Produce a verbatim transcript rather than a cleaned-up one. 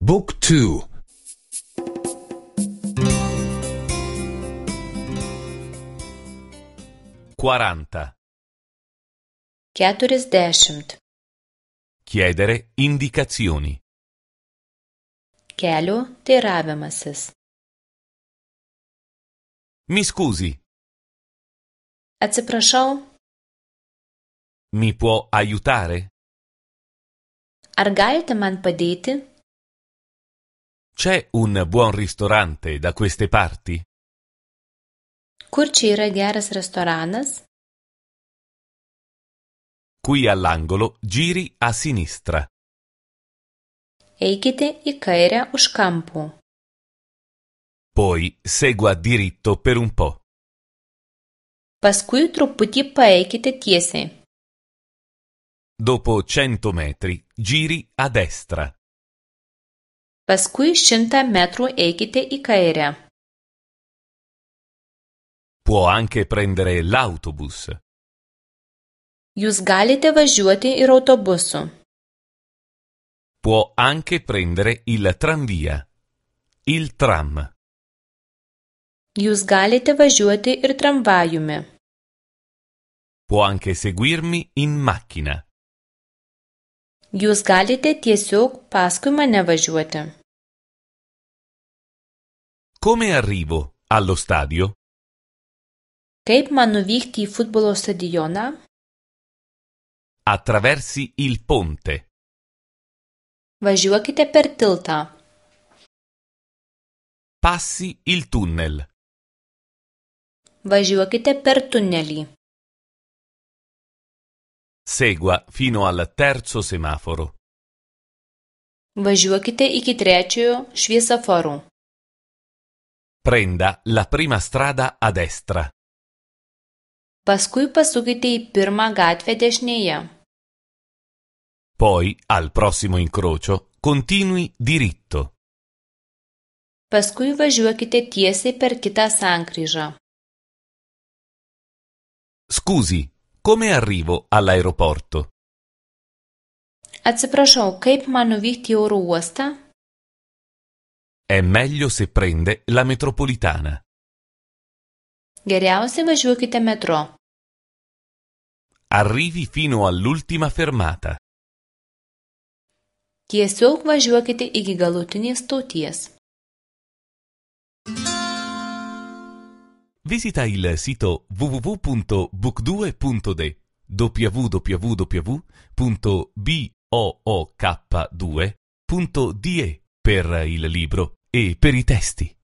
Book two. quaranta. Keturiasdešimt. Chiedere indicazioni. Kelio teiravimasis. Mi scusi, Atsiprašau, mi può aiutare? ar galite man padėti? C'è un buon ristorante da queste parti? Kur čia yra geras restoranas? Qui all'angolo giri a sinistra. Eikite į kairę už kampų. Poi segua diritto per un po'. Paskui truputį paeikite tiesiai. Dopo cento metri giri a destra. Paskui šimtą metrų eikite į kairę. Può anche prendere l'autobus. Jūs galite važiuoti ir autobusu. Può anche prendere il tranvia. Il tram. Jūs galite važiuoti ir tramvajumi. Può anche seguirmi in macchina. Jūs galite tiesiog paskui mane važiuoti. Come arrivo allo stadio? Kaip man nuvykti į futbolo stadioną? Attraversi il ponte. Važiuokite per tiltą. Passi il tunnel. Važiuokite per tunelį. Segua fino al terzo semaforo. Važiuokite iki trečiojo šviesoforo. Prenda la prima strada a destra. Paskui pasukite į pirmą gatvę dešinėje. Poi, al prossimo incrocio, continui diritto. Paskui važiuokite tiesiai per kitą sankryžą. Scusi, come arrivo all'aeroporto? Atsiprašau, kaip man nuvykti į oro uostą? È meglio se prende la metropolitana. Geriausiai važiuokite metro. Arrivi fino all'ultima fermata. Tiesiog važiuokite iki galutinės stoties. Visita il sito w w w punto book due punto d w w w punto book due punto d e per il libro e per i testi.